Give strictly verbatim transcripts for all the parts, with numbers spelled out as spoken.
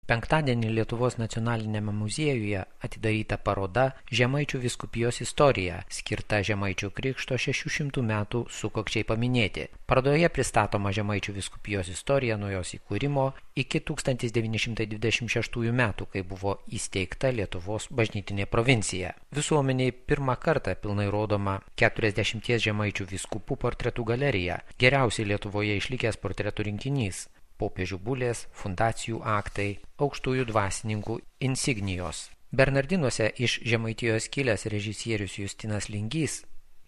Penktadienį Lietuvos nacionalinėme muziejuje atidaryta paroda Žemaičių vyskupijos istorija, skirta Žemaičių krikšto šešių šimtų metų sukakčiai paminėti. Parodoje pristatoma Žemaičių vyskupijos istorija nuo jos įkūrimo iki tūkstantis devyni šimtai dvidešimt šeštųjų metų, kai buvo įsteigta Lietuvos bažnytinė provincija. Visuomeniai pirmą kartą pilnai rodoma keturiasdešimties žemaičių vyskupų portretų galerija, geriausiai Lietuvoje išlikęs portretų rinkinys. Popiežių bulės, fundacijų aktai, aukštųjų dvasininkų insignijos. Bernardinuose iš Žemaitijos kilęs režisierius Justinas Lingys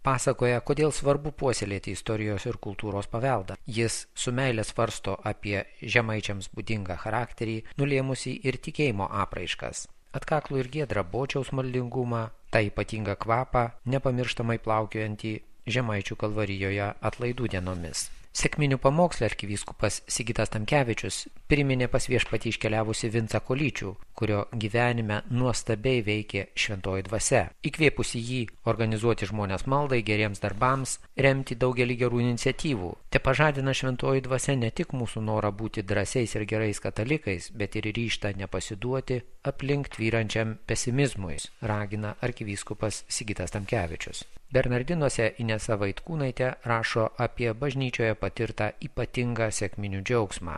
pasakoja, kodėl svarbu puoselėti istorijos ir kultūros paveldą. Jis su meile svarsto apie žemaičiams būdingą charakterį, nulėmusį ir tikėjimo apraiškas. Atkaklų ir giedrą bočiaus maldingumą, tą ypatingą kvapą, nepamirštamai plaukiojantį Žemaičių kalvarijoje atlaidų dienomis. Sekminių pamoksle arkivyskupas Sigitas Tamkevičius priminė pas viešpatį iškeliavusi Vincą Kolyčių, kurio gyvenime nuostabiai veikė šventoji dvasia, įkvėpusi jį organizuoti žmonės maldai, geriems darbams, remti daugelį gerų iniciatyvų. Te pažadina šventoji dvasia ne tik mūsų norą būti drąsiais ir gerais katalikais, bet ir ryžtą nepasiduoti aplink tvyrančiam pesimizmui, ragina arkivyskupas Sigitas Tamkevičius. Bernardinuose Inesa Vaitkūnaitė rašo apie bažnyčioje patirtą ypatingą sekminių džiaugsmą.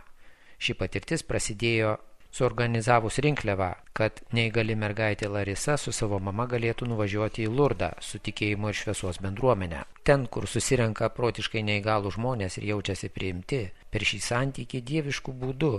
Ši patirtis prasidėjo suorganizavus rinkliavą, kad neįgali mergaitė Larisa su savo mama galėtų nuvažiuoti į Lurdą su tikėjimo ir šviesos bendruomenę. Ten, kur susirenka protiškai neįgalų žmonės ir jaučiasi priimti, per šį santykį dieviškų būdų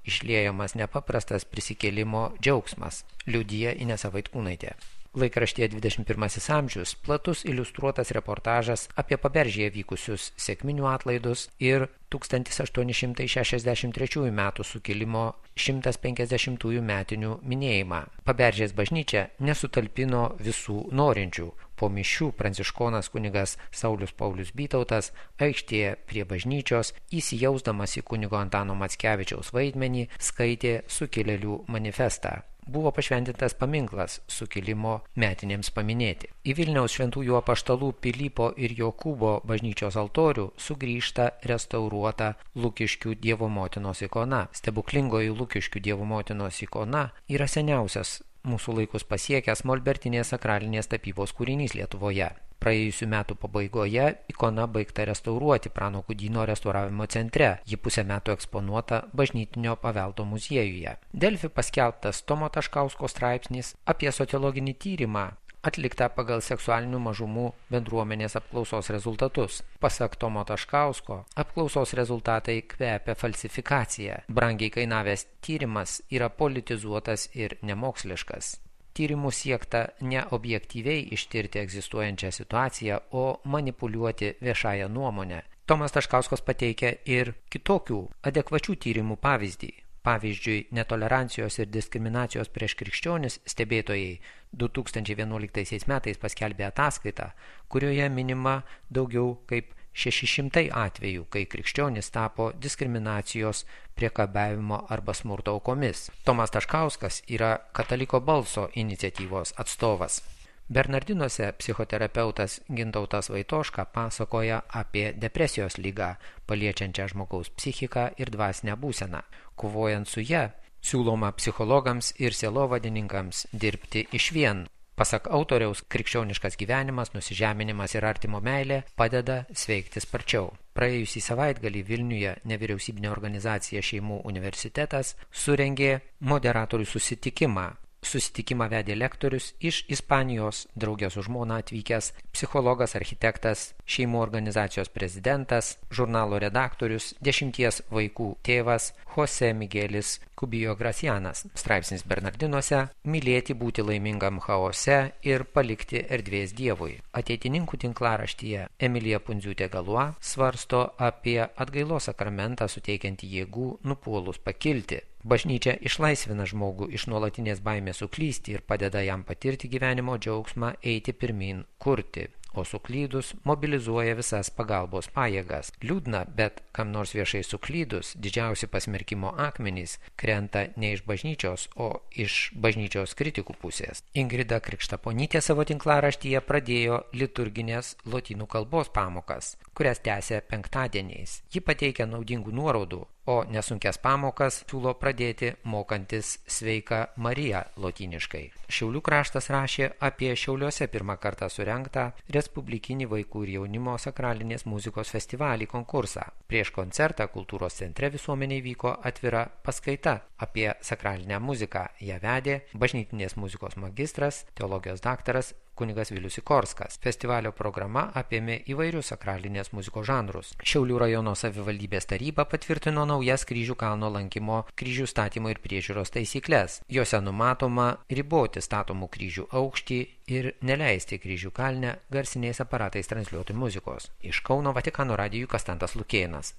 išliejamas nepaprastas prisikėlimo džiaugsmas, liudija Inesa Vaitkūnaitė. Laikraštyje dvidešimt pirmasis amžius platus iliustruotas reportažas apie Paberžėje vykusius sekminių atlaidus ir tūkstantis aštuoni šimtai šešiasdešimt trečiųjų metų sukilimo šimtas penkiasdešimtųjų metinių minėjimą. Paberžės bažnyčia nesutalpino visų norinčių. Po mišių pranciškonas kunigas Saulius Paulius Bytautas aikštėje prie bažnyčios, įsijausdamas į kunigo Antano Mackevičiaus vaidmenį, skaitė sukilėlių manifestą. Buvo pašventintas paminklas sukilimo metinėms paminėti. Į Vilniaus šventųjų apaštalų Pilypo ir Jokūbo bažnyčios altorių sugrįžta restauruota Lukiškių Dievo motinos ikona. Stebuklingoji Lukiškių Dievo motinos ikona yra seniausias mūsų laikus pasiekęs molbertinės sakralinės tapybos kūrinys Lietuvoje. Praėjusių metų pabaigoje ikona baigta restauruoti Prano Kudyno restauravimo centre. Ji pusę metų eksponuota Bažnytinio paveldo muziejuje. Delfi paskelbtas Tomo Taškausko straipsnis apie sociologinį tyrimą atliktą pagal seksualinių mažumų bendruomenės apklausos rezultatus. Pasak Tomo Taškausko, apklausos rezultatai kvepia falsifikacija. Brangiai kainavęs tyrimas yra politizuotas ir nemoksliškas. Tyrimų siekta ne objektyviai ištirti egzistuojančią situaciją, o manipuliuoti viešąją nuomonę. Tomas Taškauskas pateikia ir kitokių adekvačių tyrimų pavyzdį. Pavyzdžiui, netolerancijos ir diskriminacijos prieš krikščionis stebėtojai du tūkstančiai vienuoliktaisiais metais paskelbė ataskaitą, kurioje minima daugiau kaip šeši šimtai atvejų, kai krikščionys tapo diskriminacijos, priekabiavimo arba smurto aukomis. Tomas Taškauskas yra Kataliko balso iniciatyvos atstovas. Bernardinuose psichoterapeutas Gintautas Vaitoška pasakoja apie depresijos ligą, paliečiančią žmogaus psichiką ir dvasinę būseną. Kovojant su ja, siūloma psichologams ir sielovadininkams dirbti išvien. Pasak autoriaus, krikščioniškas gyvenimas, nusižeminimas ir artimo meilė padeda sveikti sparčiau. Praėjusį savaitgalį Vilniuje nevyriausybinė organizacija Šeimų universitetas surengė moderatorių susitikimą. Susitikimą vedė lektorius iš Ispanijos, draugė su žmona atvykęs psichologas, architektas, šeimų organizacijos prezidentas, žurnalo redaktorius, dešimties vaikų tėvas Jose Miguelis Kubijo Gracianas. Straipsnis Bernardinuose – mylėti, būti laimingam chaose ir palikti erdvės Dievui. Ateitininkų tinklaraštyje Emilija Pundziūtė Galua svarsto apie atgailos sakramentą suteikiantį jėgų nupuolus pakilti. Bažnyčia išlaisvina žmogų iš nuolatinės baimės suklysti ir padeda jam patirti gyvenimo džiaugsmą, eiti pirmin, kurti, o suklydus mobilizuoja visas pagalbos pajėgas. Liūdna, bet kam nors viešai suklydus, didžiausi pasmerkimo akmenys krenta ne iš bažnyčios, o iš bažnyčios kritikų pusės. Ingrida Krikštaponytė savo tinklaraštyje pradėjo liturginės lotynų kalbos pamokas, kurias tęsė penktadieniais. Ji pateikia naudingų nuorodų, o nesunkias pamokas siūlo pradėti mokantis Sveika Marija lotyniškai. Šiaulių kraštas rašė apie Šiauliuose pirmą kartą surengtą Respublikinį vaikų ir jaunimo sakralinės muzikos festivalį konkursą. Prieš koncertą kultūros centre visuomeniai vyko atvira paskaita apie sakralinę muziką. Ją vedė bažnytinės muzikos magistras, teologijos daktaras kunigas Vilius Sikorskas. Festivalio programa apėmė įvairius sakralinės muzikos žanrus. Šiaulių rajono savivaldybės taryba patvirtino naujas Kryžių kalno lankymo, kryžių statymo ir priežiūros taisyklės. Jose numatoma riboti statomų kryžių aukštį ir neleisti Kryžių kalne garsiniais aparatais transliuoti muzikos. Iš Kauno Vatikano radijui Kastantas Lukėnas.